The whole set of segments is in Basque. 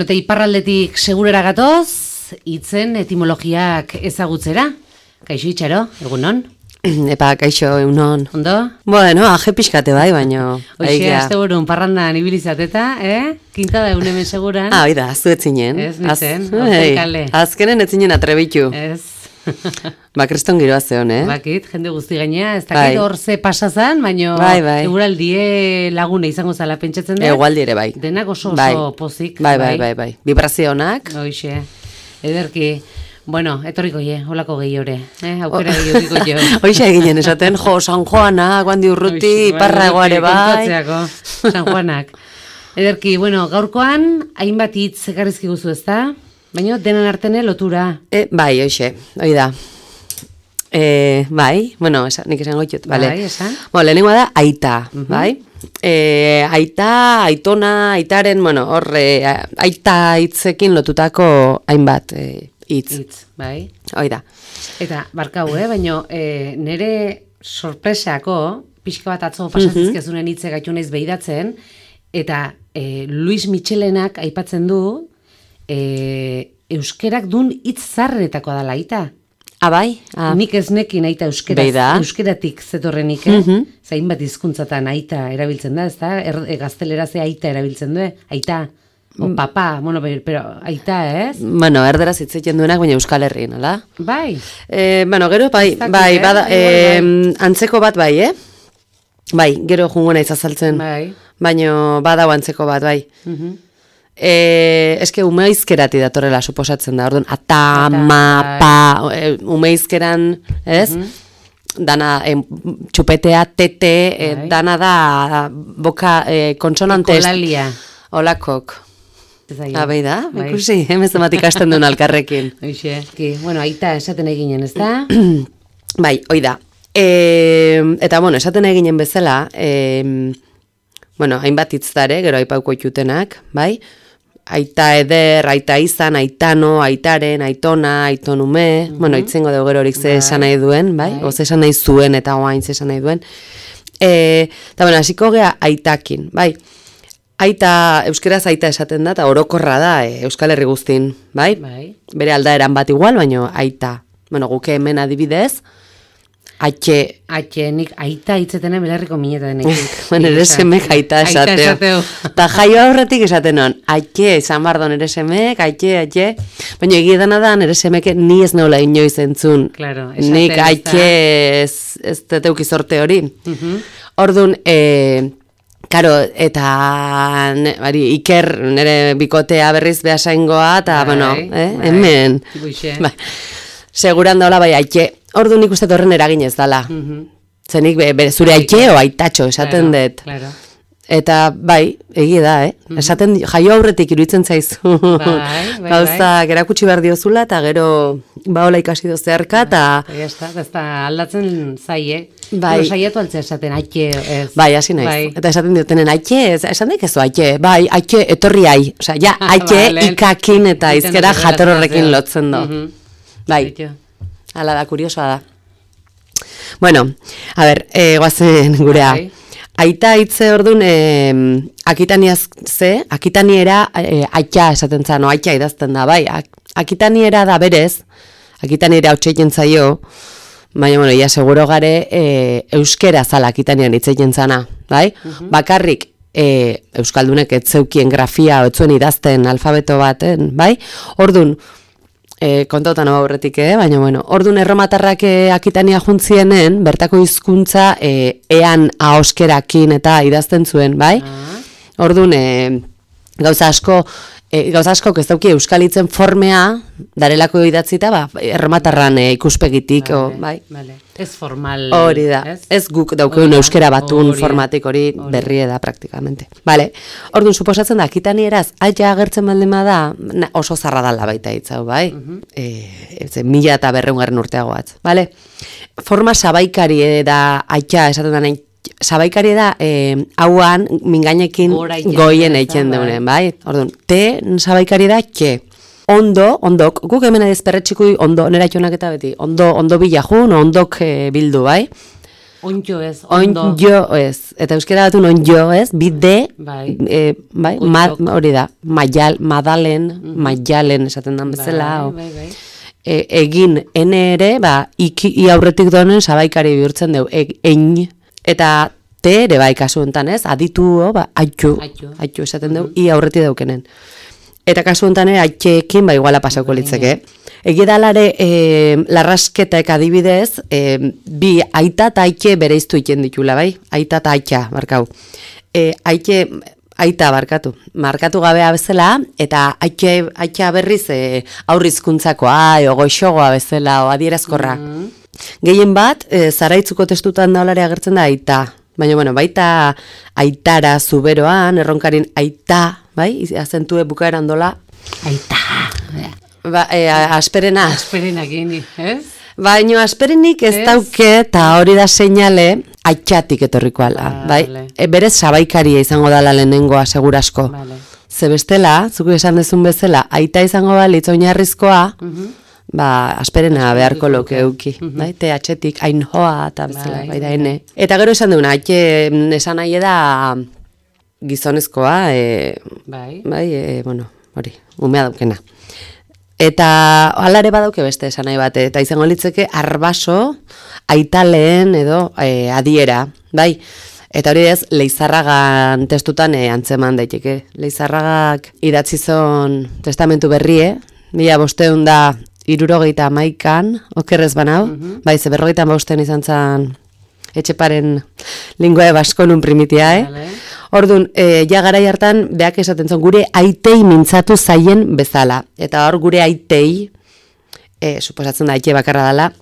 eta iparraldetik segurera gatoz, hitzen etimologiak ezagutzera. Kaixo Itxaro, egunon? Epa, kaixo, egunon. Ondo? Bueno, aje pixkate bai, baino... Hoxe, asteburun parrandan ibilizateta, Kintada egun hemen seguran. Oida, zu etzinen. Ez, nintzen, ortenkale. Azkenen etzinen atrebitu. Ez. Kreston giroa zeon, Bakit, jende guzti gaina, ez dakit hor ze pasazan, baino eguraldie lagune izango zala pentsatzen dut. Egualdi ere bai. Denak oso pozik. Bai. Vibrazionak. Hoxe, ederki. Bueno, etorriko holako gehiore, aukera gehioriko jo. Hoxe eginen esaten, San Juana, guandi urruti, parra egoare bai. San Juanak. Ederki, bueno, gaurkoan, hainbat hitz ekarrizki guzu ezta? Baina denan artene lotura. Bai, hoxe, hoi da. Bai, bueno, nik esan goitut, bale. Bai, esan. Lehenengoa da, aita, bai? Aita, aitona, aitaren, bueno, horre, aita hitzekin lotutako hainbat hitz. Bai. Hoi da. Eta, barkau, baina nire sorpresako, pixka bat atzo pasatzizkezunen hitze gaitu naiz behidatzen, eta Luis Michelenak aipatzen du, euskerak dun hitz zarrenetakoa dela aita. Bai? Nik ez nekin aita euskeratik zetorrenik, zain bat hizkuntzatan aita erabiltzen da, ez da? Gazteleraz aita erabiltzen du, aita, o papa, bueno, pero aita, ez? Bueno, erderaz hitzeiten duenak, baina Euskal Herrien, ala? Bai. Bueno, gero, bai, bada, antzeko bat bai, Bai, gero jungo naiz azaltzen. Bai. Baina badau antzeko bat, bai. Eske umeizkerati datorrela suposatzen da, orduan, ata, ma, pa, umeizkeran, ez? Dana, txupetea, tete, dana da, boka, konsonantez. Ekolalia. Olakok. Bai da, ikusi, hemezamat ikasten duen alkarrekin. Bueno, aita esaten eginen, ez da? Bai, hoi da. Eta, bueno, esaten eginen bezala, bueno, hainbat hitzdare, gero aipauko itutenak, bai? Aita eder, aita izan, aitano, aitaren, aitona, aitonume, bueno, itzengo dugu gero horik ze esan nahi duen, bai? Oze esan nahi zuen eta oain ze esan nahi duen. Eta, bueno, hasiko gea aitakin, bai? Aita, euskeraz aita esaten da, eta orokorra da, Euskal Herri guztin, bai? Bere aldaeran bat igual, baina aita. Bueno, guke hemen adibidez, nik aita hitzetenen belarriko mineta denek. Bueno, ere semek aita esateo. Ta jaio aurretik esaten hon, izan bardo nere semek, baina egidana da, nere semek ni ez nola inoiz entzun. Nik ez teteuki sorte hori. Orduan, karo, eta Iker nere bikotea berriz behasaingoa, eta, bueno, hemen. Seguran daola bai aike. Ordu nik uste horren eraginez dala. Zenik zure aike o aitatxo esaten dut. Eta bai, egia da, esaten jaio aurretik iruditzen zaizu. Gauza, gerakutsi behar diozula, eta gero baola ikasi dozearka, eta... Ez da aldatzen zaie. Saiatu altzea esaten, aike ez. Bai, hasi naiz. Eta esaten diotenen, aike ez, esan daik ezu aike. Bai, aike etorri ai. Osea, ja, aike ikakin eta izkera jator horrekin lotzen do. Bai. Hala da, kuriosoa da. Bueno, a ber, guazen gurea. Aita hitze orduan, akitaniera aita esaten zan, aita idazten da, bai. Akitaniera da berez, akitaniera hotxeiten zaio, baina, bueno, ia seguro gare euskera zala akitanian hitzeiten zana, bai. Bakarrik, euskaldunek etzeukien grafia, etzuen idazten alfabeto baten, bai. Orduan, kontautan hau aurretik, baina, bueno, orduan erromatarrak akitania juntzienen, bertako hizkuntza ean ahoskerakin eta idazten zuen, bai? Orduan, gauza asko ez dauki euskalitzen formea, darelako idatzita, erromatarran ikuspegitik, bai? Ez formal. Hori da, ez guk daukeun euskera batun formatik hori berrie da praktikamente. Bale, orduan, suposatzen da, akitanieraz, aia agertzen baldema da, oso zarra dala baita hitzau, bai? 1200 urteagoatz, bale? Forma sabaikari da, aia esaten da nahi, sabaikari da, hauan, mingainekin goien eiken deunen, bai? Orduan, sabaikari da, ondok, guk hemen ez perretxikui ondo, nera jonak eta beti, ondo bila jun, ondok bildu, bai? Onjo ez, ondo. Onjo ez. Eta euskera batun onjo ez, bide, hori da, maialen esaten dan bezala. Egin, ene ere, i aurretik donen sabaikari bihurtzen dugu, eta te ere kasu enten ez, aditu, aitxu esaten dugu, i aurretik daukenen. Eta kasu enten aitxeekin, iguala pasauko litzeke. Egidalare, larrasketak adibidez, bi aita eta aitxe bereiztu iten ditula, bai? Aita eta aitxa, barkau. Aita markatu gabea bezala, eta aitxa berriz aurrizkuntzakoa, goixogoa bezala, adierazkorra. Gehien bat, zaraitzuko testutan daulare agertzen da aita. Baina, baita aitara zuberoan, erronkarin aita, bai? Azentue bukaeran dola. Aita. Asperena. Asperena gini, ez? Baina asperenik ez dauke, eta hori da seinale, aitxatik etorriko ala, bai? Berez sabaikaria izango dala lehenengoa, segurasko. Ze bestela, zuku esan dezun bezala, aita izango balitz oinarrizkoa, asperena beharko loke euki, bai? Te atxetik, ainhoa, eta bezala, bai da ene. Eta gero esan duna, aitxe esan nahi da gizonezkoa, hori, umea daukena. Eta alare badauke beste esan nahi bate, eta izango litzeke arbaso, aitaleen edo adiera, bai? Eta hori ez, Leizarragan testutan antzeman daiteke. Leizarragak idatzizon testamentu berrie, 1571an, okerrez banau, bai, ze 45 izan zen Etxeparen lingua baskonun primitia, Orduan, ja garai hartan, beak esaten zon, gure aitei mintzatu zaien bezala. Eta hor gure aitei, suposatzen da aite bakarra dela,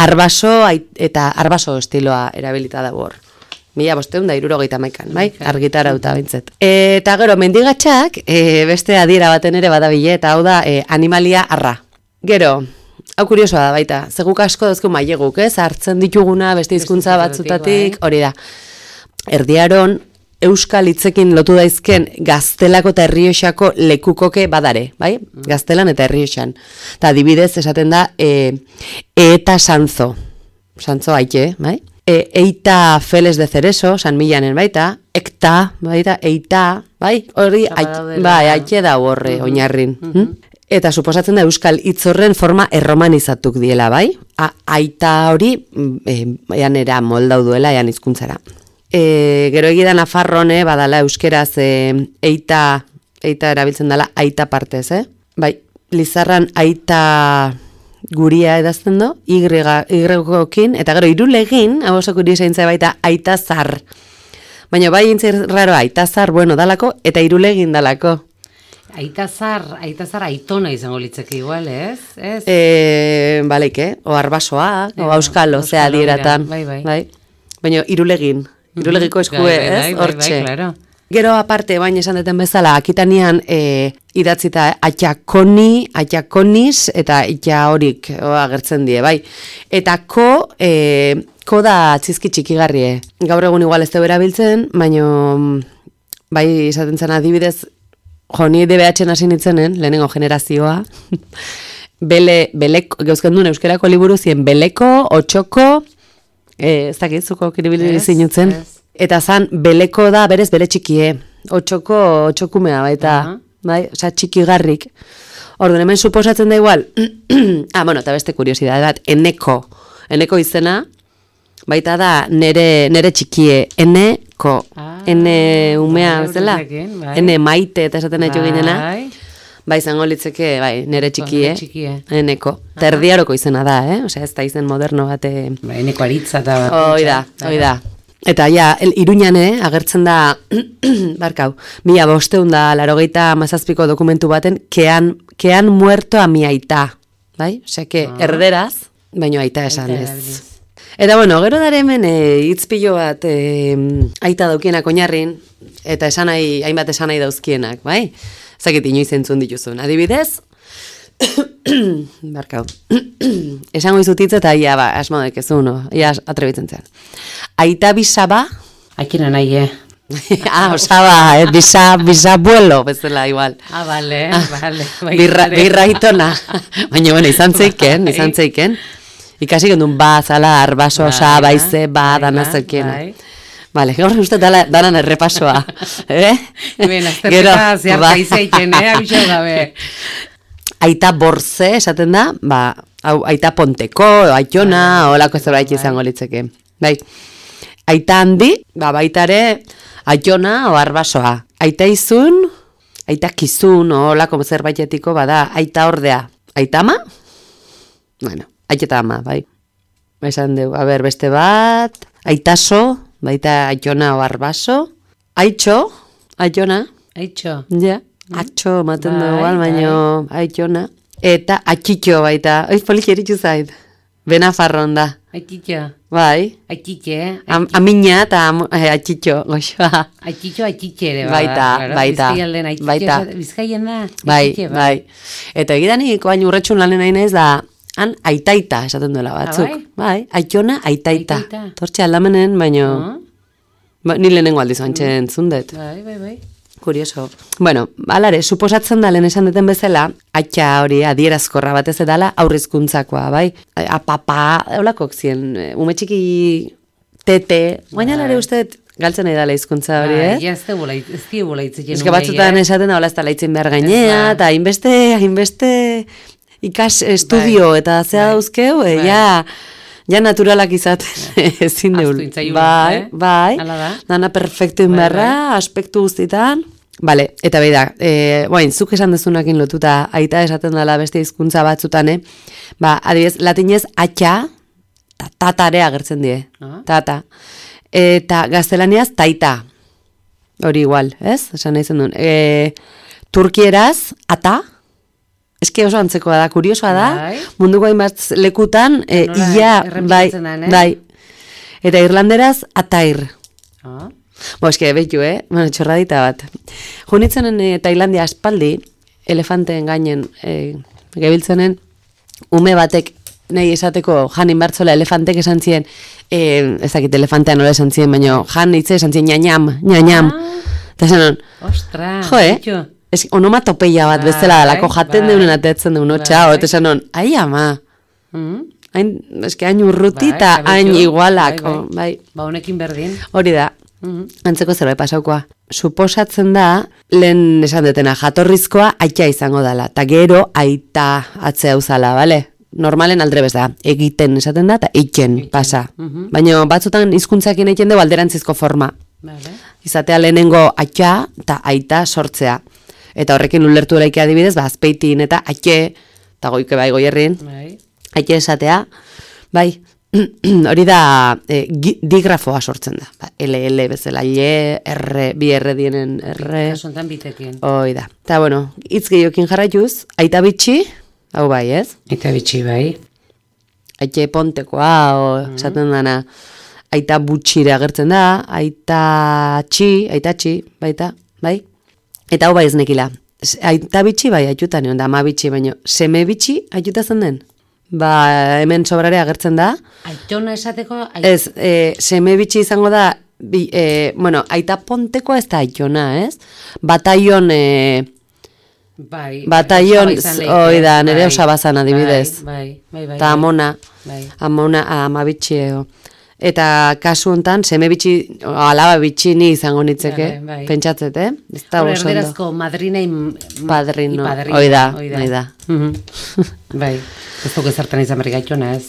arbaso eta arbaso estiloa erabilita dago hor. 1571an, bai? Argitarauta bintzet. Eta gero, mendigatxak, beste adiera baten ere badabile, eta hau da, animalia arra. Gero, hau kuriosoa da baita, zeguk asko dozko maileguk, hartzen dituguna, beste hizkuntza batzutatik, hori da. Erdiaron, euskal hitzekin lotu daizken Gaztelako eta Errioxako lekukoke badare, bai? Gaztelan eta Errioxan. Eta adibidez esaten da, eta sanzo aite, bai? Eita feles de cereso, San Millanen baita, ekta, baita, eita, bai? Hori, aite da horre, oinarrin. Eta suposatzen da euskal hitzorren forma erromanizatuk diela, bai? Aita hori, eanera moldau duela, ean hizkuntzara. Gero egida Nafarrone, badala euskeraz eita erabiltzen dela aita partez, Bai, Lizarran aita guria edazten do, Y-gokin, eta gero irulegin, hau oso kuriosa intza baita aita zar. Baina bai intzer raro aita zar, bueno, dalako, eta irulegin dalako. Aita zar aitona izango litzeke igual, ez? Baleike, o arbasoa, o auskalo, zea dieratan. Bai. Baina irulegin. Irulegiko eskue, ez? Hortxe. Gero aparte, baina esan deten bezala, Akitanian idatzita atxakoniz, eta itxa horik agertzen die, bai. Eta ko da txizki txikigarrie. Gaur egun igual ez da erabiltzen, baina bai izaten zen adibidez, ni DBH-en hasi nitzenen, lehenengo generazioa, geuzken duen euskerako liburu zien beleko, otxoko, ez dakizuko kiribili zinutzen. Eta zan, beleko da berez bere txikie. Otxokumea baita. Bai, oza, txikigarrik. Orduan, hemen suposatzen da igual. Eta beste kuriosidade bat. Eneko izena, baita da nere txikie. Eneko. Ene umea, bezala? Ene maite, eta esaten nahi ginena. Bai, izango litzeke, nere txikie, eneko. Eta erdiaroko izena da, Osea, ez da izen moderno bate. Eneko aritza eta bat. Hoi da. Eta Iruñan agertzen da, barkau, 1587ko dokumentu baten, kean muerto a mi aita. Bai? Osea, erderaz, baino aita esan ez. Eta bueno, gero dara hemen hitzpilo bat aita daukienak oinarrin, eta hainbat esan nahi dauzkienak, bai? Zakit inoiz entzun dituzun. Adibidez, barkau, esango izutitza eta ia asmodak ez uno, ia atrebitzen zen. Aita bisaba... Aikina nahi, osaba, bisabuelo, bezala igual. Bale. Birra itona. Baina, bueno, izan zeiken. Ikasi gendun zala, arbaso, osa, baize, dana zelkiena. Vale, gaur uste danan errepasoa. Ben, azterketa zeharka izaiten, abixau gabe. Aita borze, esaten da, aita ponteko, aitona, olako zerbait izango litzeke. Bai, aita handi, baitare, aitona o arbasoa. Aita izun, aita kizun, olako zerbaitetiko, bada, aita ordea. Aita ama? Bueno, aita ama, bai. Esan dugu, beste bat, aitaso, baita aitona o arbaso. Aitxo, aitona. Aitxo. Ja, atxo, maten dugu, baino, aitona. Eta atxitxo baita, polik eritxu zait. Benafarron da. Atxitxo. Bai. Atxitxe. Amina eta atxitxo, goxoa. Atxitxo, atxitxe ere, baita. Bizkaien da. Bai. Eta egidanik, baina urretxun lanen nahi naiz da, han aitaita esaten duela batzuk. Bai, aitona, aitaita. Tortxe aldamenen, baino, ni lehenengo aldiz antxen zundet. Bai. Kurioso. Bueno, alare, suposatzen da lehen esan duten bezala, atxa hori adierazkorra batez edala aurrizkuntzakoa, bai? Apapa, eulakok zien, ume txiki tete, baina alare uste galtzen edala hizkuntza hori, Ja, ez di bolaitzen genuen. Ez que batzutan esaten da, hola ez da laitzen behar gainea, eta hainbeste ikas estudio, eta zea dauzkeu, ja naturalak izaten ezin deul. Bai, dana perfektu inberra, aspektu guztitan. Vale, eta behi da, zuk esan dezunakin lotuta, aita esaten dela beste hizkuntza batzutan, adibidez, latinez atxa, tatare agertzen die, tata. Eta gaztelaniaz taita, hori igual, ez? Esan nahi zen duen. Turkieraz, ata, eske oso antzekoa da, kuriosoa da, munduko hainbat lekutan, bai. Eta irlanderaz, atair. Eske, behitu, txorradita bat. Junitzenen Tailandia aspaldi, elefanteen gainen gebiltzenen, ume batek nahi esateko janin bartzola elefantek esan ziren, ez dakit elefantean nola esan ziren, baina jan hitze esan ziren ñañam. Eta esan hon, onomatopeia bat bezala dalako jaten deunen atetzen deun otxa, eta esan hon, ai ama, hain urruti eta hain igualak. Ba, honekin berdin. Hori da. Antzeko zerbait pasaukoa. Suposatzen da, lehen esan detena, jatorrizkoa aita izango dela, eta gero aita atzea uzala, bale? Normalen aldrebez da, egiten esaten da, eta eiken pasa. Baina batzutan hizkuntzakin egiten dugu alderantzizko forma. Izatea lehenengo aita eta aita sortzea. Eta horrekin ulertu eraiki adibidez, azpeitin eta aite, eta goike bai goierrin, aite esatea, bai, hori da digrafoa sortzen da. LL bezala, R, bi R dienen R. Kasontan bitekin. Hoi da. Eta bueno, hitz gehiokin jarraituz, aita bitxi, hau bai ez? Aita bitxi bai. Aite pontekoa, esaten dana, aita butxire agertzen da, aita txi, baita, bai? Eta hau bai ez nekila. Aita bitxi bai aitutan egon da, ama bitxi, baina seme bitxi aituta zen den? Ba, hemen sobrare agertzen da. Aitona esateko? Ez, seme bitxi izango da, aita pontekoa ez da aitona, ez? Bataion, hoi da, nire osabazan adibidez. Bai. Eta amona, ama bitxi ego. Eta kasu hontan, seme bitxi, alaba bitxi ni izango nitzeke, pentsatzet, Erderazko madrina padrino, hoi da. Bai, ez dugu ezartan izan berri gaitona ez.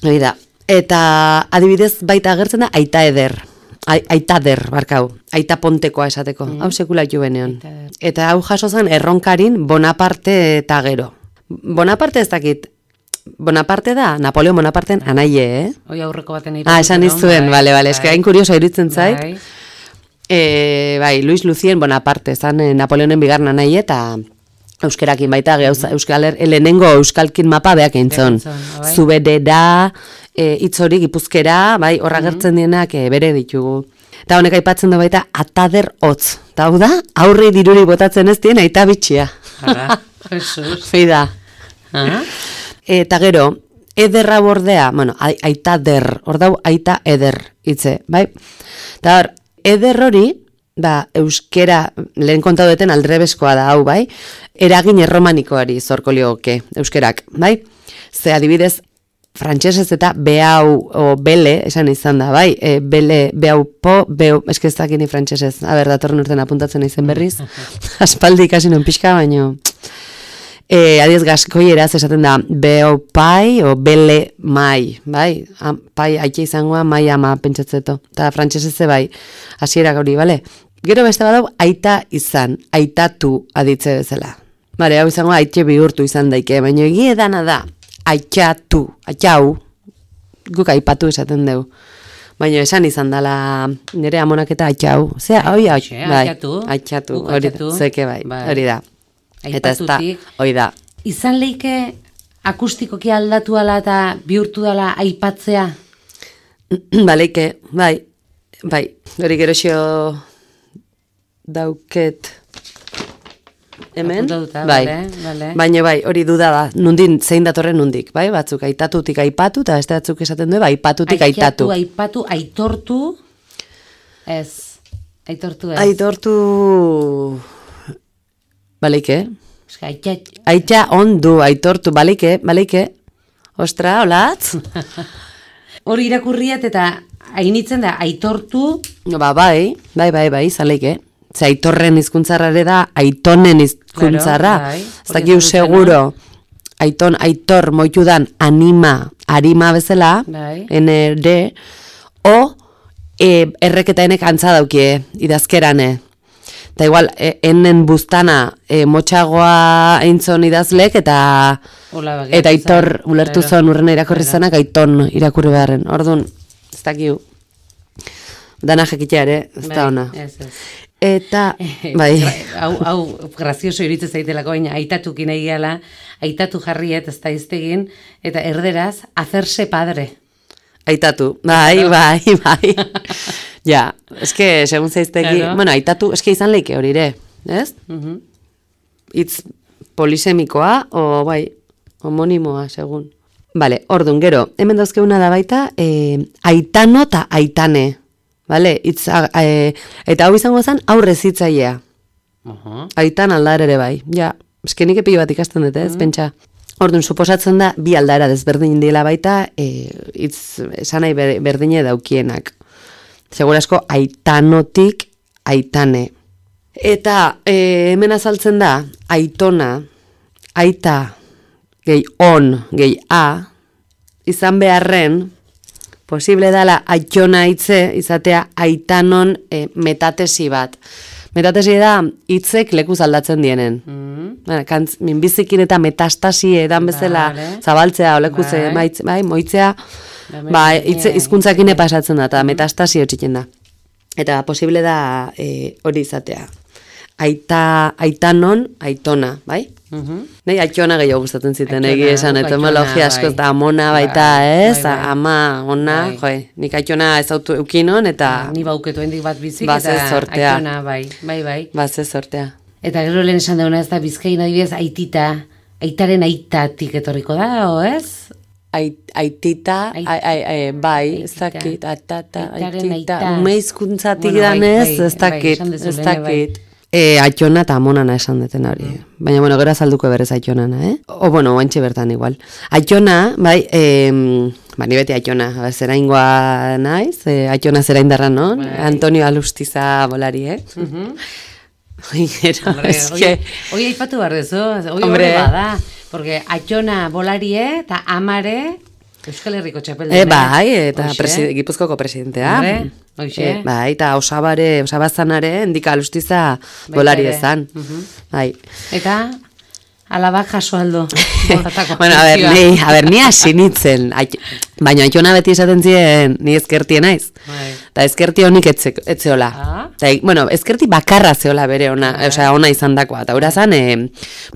Hoi da, eta adibidez baita agertzen da aita eder, barkau, aita pontekoa esateko, hau sekula jubenean. Eta hau jaso zen erronkarin Bonaparte eta gero. Bonaparte ez dakit, Bonaparte da, Napoleon Bonaparten anaie, Hoi aurreko baten esan izuen, bale, eske hain kurioso iruditzen zait. Bai, Luis Lucien Bonaparte, zan Napoleonen bigarren anaie, eta euskerakin baita, lehenengo euskalkin mapa beak eintzon. Zubedera, itzori, gipuzkera, bai, horra gertzen dienak bere ditugu. Eta honek aipatzen da baita, atader hotz. Eta hau da, aurre diruri botatzen ez dien, aita bitxia. Jesus. Fida. Eta gero, ederra bordea, aita der, hor dau aita eder hitze, bai? Eta hor, eder hori, euskera, lehen kontatu duten aldrebezkoa da, hau, bai? Eragin erromanikoari zorko lioke, euskerak, bai? Ze adibidez, frantsesez eta behau, o bele, esan izan da, bai, bele, behau po, behau, eskezakini frantsesez, datorren urten apuntatzen izen berriz, aspaldi ikasi non pixka, baino, adiez gaskoieraz esaten da, behau pai, o bele mai, bai, pai aike izangoa, mai ama pentsatzeto, eta frantsesez bai, hasiera gauri, bale? Gero beste badau, aita izan, aitatu aditze bezala. Bale, hau izango aitxe bihurtu izan daike, baina egie dana da, aitxatu, aitxau, guk aipatu esaten dugu. Baina esan izan dela nire amonaketa aitxau. Zea, hoi aitxatu, hori zeke bai, hori da. Eta ez da, hori da. Izan leike akustikoki aldatu ala eta bihurtu dela aipatzea? Baleike, bai, hori geroxio dauket... Hemen, bai, baina bai, hori duda da, nundin, zein datorren nundik, bai, batzuk aitatutik aipatu, eta beste batzuk esaten du, bai, aipatutik aitatu. Aipatu, aitortu, ez, aitortu ez. Aitortu, baleike? Aitxa ondu, aitortu, baleike, ostra, holatz? Hori irakurriat eta hainitzen da, aitortu. Bai, zaleike. Ze aitorren hizkuntzarra ere da, aitonen hizkuntzarra. Ez dakiu seguro, aitor moitu dan arima bezala, ND, o erreketa enek antza daukie, idazkerane. Eta igual, enen buztana motxagoa eintzon idazlek, eta aitor ulertu zon urrena irakurri zanak, aiton irakurri beharren. Orduan, ez dakiu, dana jekitea ere, ez da ona. Eta, bai. Hau grazioso iritze zaitelako, baina aitatukin egiala, aitatu jarriet, ez da iztegin, eta erderaz, hacerse padre. Aitatu, bai. Ja, eske, segun zaiztegi, bueno, aitatu, eske izan leike hori ere, ez? Itz polisemikoa, o bai, homonimoa, segun. Bale, ordun, gero, hemen dauzkeuna da baita, aitano eta aitane. Vale, eta hau izango zen aurrez hitzailea. Aitan aldar ere bai. Ja, eskenik epi bat ikasten dute, ez, pentsa. Orduan, suposatzen da, bi aldaera desberdin dela baita, esanai berdine daukienak. Segurasko, aitanotik aitane. Eta hemen azaltzen da, aitona, aita, gehi on, gehi a, izan beharren, posible dala aitona hitze izatea aitanon metatesi bat. Metatesi da hitzek lekuz aldatzen dienen. Minbizikin eta metastasi edan bezala zabaltzea, olekuz moitzea, hizkuntzakine pasatzen da, eta metastasi hotxiken da. Eta posible da hori izatea. Aitanon, aitona, bai? Nei aitona gehiago gustatzen ziten, esan, etimologia askoz da amona baita, ez? Ama, ona, nik aitona ez autu eukinon, eta... Ni bauketu hendik bat bizik, eta aitona, bai. Baze sortea. Eta gero lehen esan dauna ez da Bizkain adibidez aitita, aitaren aitatik etorriko da, o ez? Aitita, bai, ez dakit, aitita, umeizkuntzatik danez, ez dakit. Aitona eta amonana esan deten hori. Baina, bueno, gero azalduko berez aitonana, O, bueno, oantxe bertan igual. Aitona, bai, ni beti aitona, zera ingoa naiz, aitona zera indarra non, Antonio Alustiza bolari, Hoi aipatu behar dezu, hoi bada, porque aitona bolarie eta amare Euskal Herriko txapeldena. Bai, eta Gipuzkoko presidentea. Bai, eta osabazanare endika Alustiza bolari ezan. Bai. Eta alabak jaso aldo. Bueno, a ber, ni hasi nitzen. Baina aitona beti esaten ziren, ni ezkertie naiz. Eta ezkerti honik etzeola. Bueno, ezkerti bakarra zeola bere ona, osea, ona izan dakoa. Eta hura zan,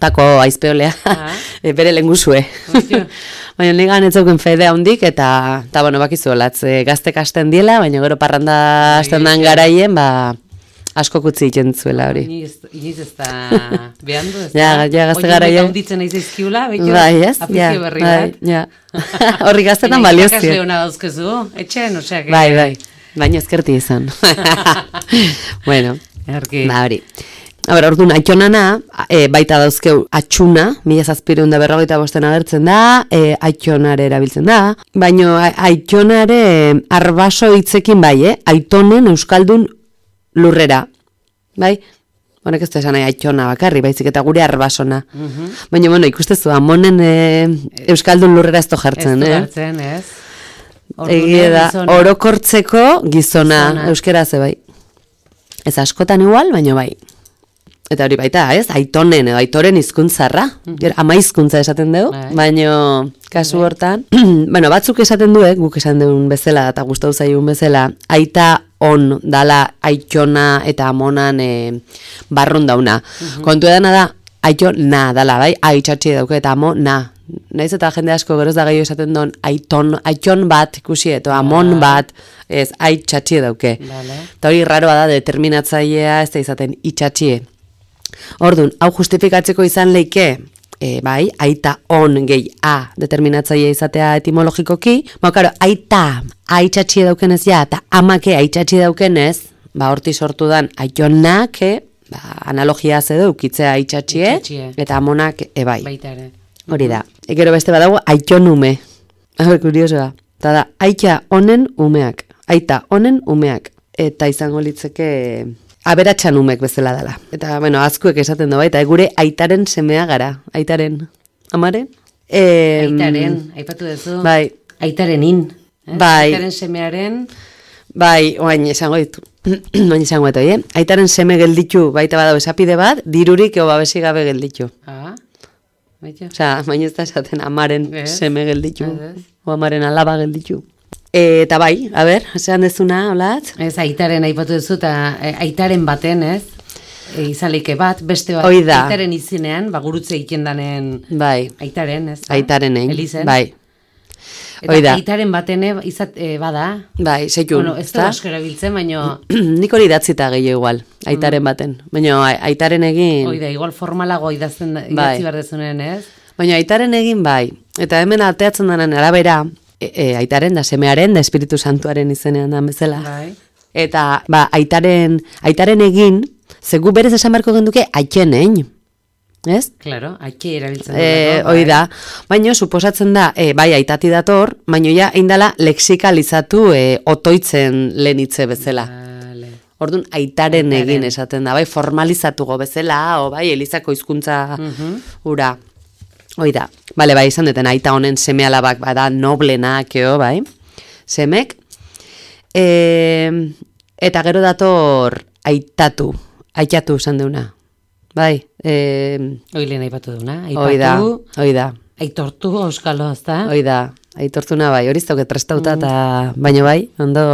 pako aizpeolea, bere lengusue. Baina nigan etzauken fedea hundik, eta bueno, bakizu olatz, gazte kasten diela, baina gero parranda hasten dan garaien, asko kutzi egiten zuela hori. Iniz ez da behandu, ez da? Ja, gazte garaien. Oio hunditzen aiz izkiula, behitu, apizio berri bat. Horri gaztetan baliozio. Irakasle hona dauzkezu, etxen, oseak. Bai, baina ezkerti izan. Bueno, hori. orduan, aitonana, baita dauzkeu atxuna, 1745 agertzen da, aitonare erabiltzen da, baina aitonare arbaso hitzekin bai, aitonen euskaldun lurrera, bai? Honek ez da esan aitona bakarri, baizik eta gure arbasona. Baina, bueno, ikustezu, amonen euskaldun lurrera ez jartzen, Ez jartzen, ez? Egia da, orokortzeko gizona, euskera ze bai. Ez askotan igual, baina bai. Eta hori baita, ez? Aitonen edo aitoren hizkuntzarra. Ama hizkuntza esaten dugu, baina kasu hortan. Bueno, batzuk esaten du, guk esan dugun bezala, eta gustatu zaigun bezala, aita on dala aitona eta amonan barrun dauna. Kontu edana da, aitona dala, bai? Aitxatxi dauke eta amo na. Naiz eta jende asko geroz da gehiago esaten duen aiton bat ikusi, eta amon bat, ez, aitxatxi dauke. Eta hori raroa da, determinatzailea ez da izaten itxatxie. Orduan, hau justifikatzeko izan leike, bai, aita on gehi a determinatzailea izatea etimologikoki, karo, aita aitxatxi daukenez ja, eta amake aitxatxi daukenez, horti sortu dan aitonak, analogia zedu, ukitzea aitxatxie, eta amonak bai. Baita ere. Hori da. Gero beste badago aitonume. Kuriosoa. Eta da, aita honen umeak. Aita honen umeak. Eta izango litzeke aberatsan umek bezala dela. Eta, bueno, azkuek esaten du baita, gure aitaren semea gara. Aitaren. Amaren? Aitaren, aipatu duzu. Bai. Aitarenin. Bai. Aitaren semearen. Bai, oain esango ditu. Oain esango ditu, Aitaren seme gelditu baita badago esapide bat, dirurik eo babesi gabe gelditu. Osea, baina ez da esaten amaren seme gelditu, o amaren alaba gelditu. Eta bai, a ber, esan dezuna, holat? Ez, aitaren aipatu duzu, eta aitaren baten, ez? Izalike bat, beste bat, aitaren izinean, gurutze egiten danen aitaren, ez? Aitaren Elizen. Bai. Eta aitaren baten bada. Bai, seitun. Bueno, ez da euskera biltzen, baina... Nik hori idatzita gehiago igual, aitaren baten. Baina aitaren egin... Oida, igual formalago idatzi behar dezunen, ez? Baina aitaren egin bai. Eta hemen alteatzen denen arabera, aitaren da semearen da Espiritu Santuaren izenean da bezala. Bai. Eta aitaren egin, zegu berez esan beharko genduke aitxenein. Ez? Claro, aitxe erabiltzen hori da. Baina, suposatzen da, bai, aitati dator, baina ja, indala lexikalizatu otoitzen lehenitze bezala. Orduan, aitaren egin esaten da, bai, formalizatuko bezala, o bai, elizako hizkuntza ura. Hoi da. Bale, bai, izan deten, aita honen seme alabak, bada, noblenak, bai, semek. Eta gero dator, aitatu esan deuna. Bai. Oile nahi batu duna. Hoi da. Aitortu euskalo, ez da? Hoi da. Aitortuna bai, hori zauke trastauta, baina bai, ondo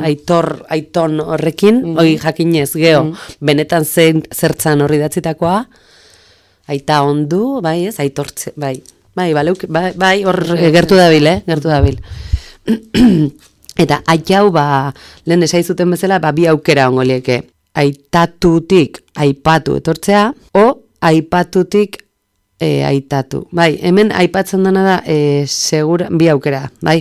aiton horrekin, hoi jakinez, geho, benetan zertzan horri datzitakoa, aita ondu, bai ez, aitortze, bai, hor gertu dabil, gertu dabil. Eta aitau, lehen esaizuten bezala, bi aukera ongo lieke. Aitatutik aipatu etortzea, o aipatutik aitatu. Bai, hemen aipatzen dena da segura, bi aukera, bai.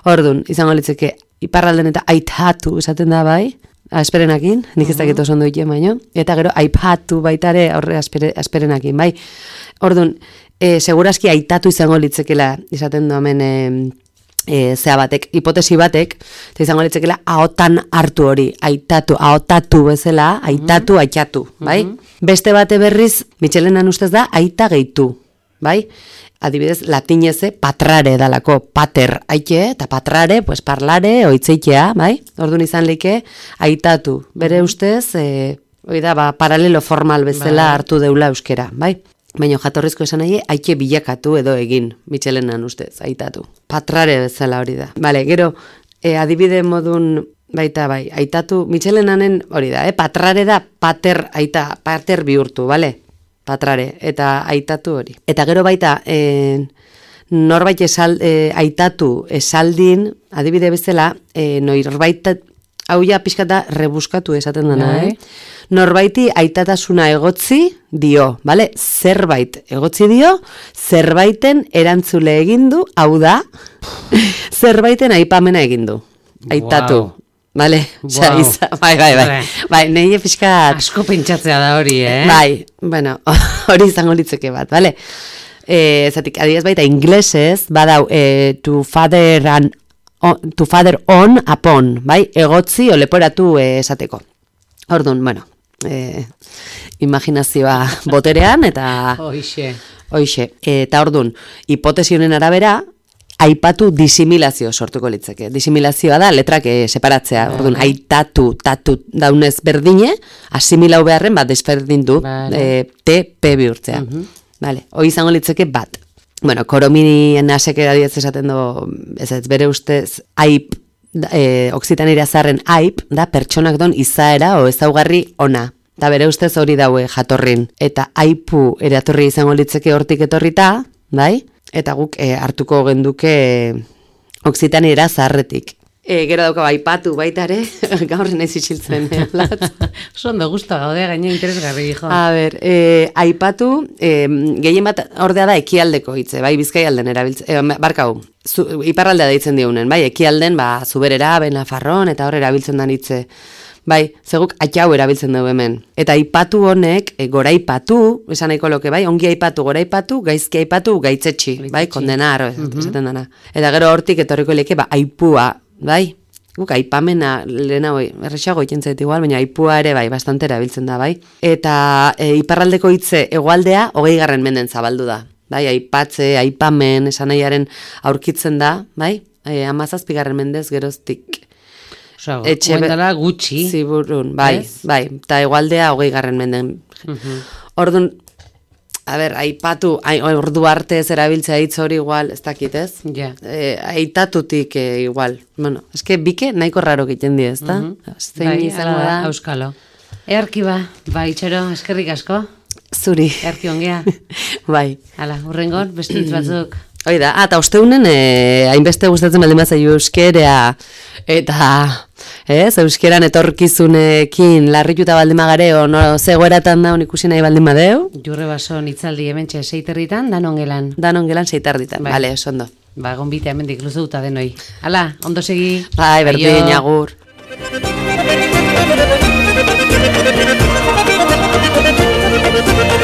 Orduan, izango litzeke, iparralden eta aitatu esaten da, bai, asperenakin, nik ez dakit oso ondo ikien baino, eta gero aipatu baitare horre asperenakin, bai. Orduan, segurazki aitatu izango litzekela, izaten du hemen... zea batek, hipotesi batek, eta izango litzekela ahotan hartu hori, ahotatu bezala, aitatu, aitatu, bai? Beste bate berriz, Michelenan ustez da, aita gehitu, bai? Adibidez, latineze patrare dalako, pater aite, eta patrare, pues parlare, oitzeitea, bai? Orduan izan leike, aitatu. Bere ustez, paralelo formal bezala hartu deula euskera, bai? Baina jatorrizko esan nahi, aike bilakatu edo egin, Michelenan ustez, aitatu. Patrare bezala hori da. Bale, gero, adibide modun, baita bai, aitatu, Michelenanen hori da, patrare da, pater bihurtu, bale? Patrare, eta aitatu hori. Eta gero baita, norbait aitatu esaldin, adibide bezala, norbait, hau ja pixkata rebuskatu esaten dena, Norbaiti aitatasuna egotzi dio, bale? Zerbait egotzi dio, zerbaiten erantzule egindu, hau da, zerbaiten aipamena egindu. Aitatu. Bale, wow. Bai, nehi pixkat... Asko pentsatzea da hori, Bai, bueno, hori izango litzeke bat, bale? Zatik, adiez baita, inglesez, badau, to father on upon, bai? Egotzi o leporatu esateko. Orduan, bueno, imaginazioa boterean, eta... Hoixe. Eta orduan, hipotesi honen arabera, aipatu disimilazio sortuko litzeke. Disimilazioa da, letrak separatzea. Orduan, aitatu, tatu daunez berdine, asimilau beharren bat desberdindu, T, P bihurtzea. Vale, hoi izango litzeke bat. Bueno, Korominien aseke adiez esaten do, ez bere ustez, aip, oksitanera zarren aip, da pertsonak don izaera o ezaugarri ona. Da bere ustez hori daue jatorrin. Eta aipu eratorri izango litzeke hortik etorrita, bai? Eta guk hartuko genduke oksitanera zarretik. Gero dauka aipatu baita ere, gaur nahiz isiltzen. Zondo guztua gaude, gaine interesgarri, jo. A ber, aipatu, gehien bat ordea da ekialdeko hitze, bai, Bizkaialden erabiltzen, barkau, iparraldea deitzen diunen, bai, ekialden, Zuberera, Benafarron, eta hor erabiltzen dan hitze. Bai, zeguk atxau erabiltzen dugu hemen. Eta aipatu honek, goraipatu, esan nahiko loke, bai, ongi aipatu, goraipatu, gaizki aipatu, gaitzetxi, bai, kondenar, esaten dana. Eta gero hortik etorriko leke, aipua, bai, guk aipamena lehena hoi, errexago ikentzait igual, baina aipua ere, bai, bastante erabiltzen da, bai. Eta iparraldeko hitze hegoaldea 20. menden zabaldu da. Bai, aipatze, aipamen, esan nahiaren aurkitzen da, bai, 17. mendez geroztik. Guendala gutxi. Ziburun, bai, eta hegoaldea 20. menden. Orduan, a ber, aipatu, ordu arte ez erabiltzea hitz hori igual, ez dakit ez? Aitatutik igual. Bueno, eske bike nahiko raro egiten di, ez da? Bai, izango da, auskalo. Earkiba, bai, itxero, eskerrik asko. Zuri. Earki ongea. Bai. Hala, urrengon, beste hitz batzuk. Hoi da, eta osteunen, hainbeste gustatzen baldin batzai euskerea, eta, euskeran etorkizunekin larrituta baldin magareo, zegoeratan da ikusi nahi baldin badeu? Jurre bason itzaldi hementxe 6:30, danon gelan. Danon gelan 6:30, bale, ondo. Gonbite hemendik luzuta denoi. Hala, ondo segi. Bai, berdin, agur. Thank you.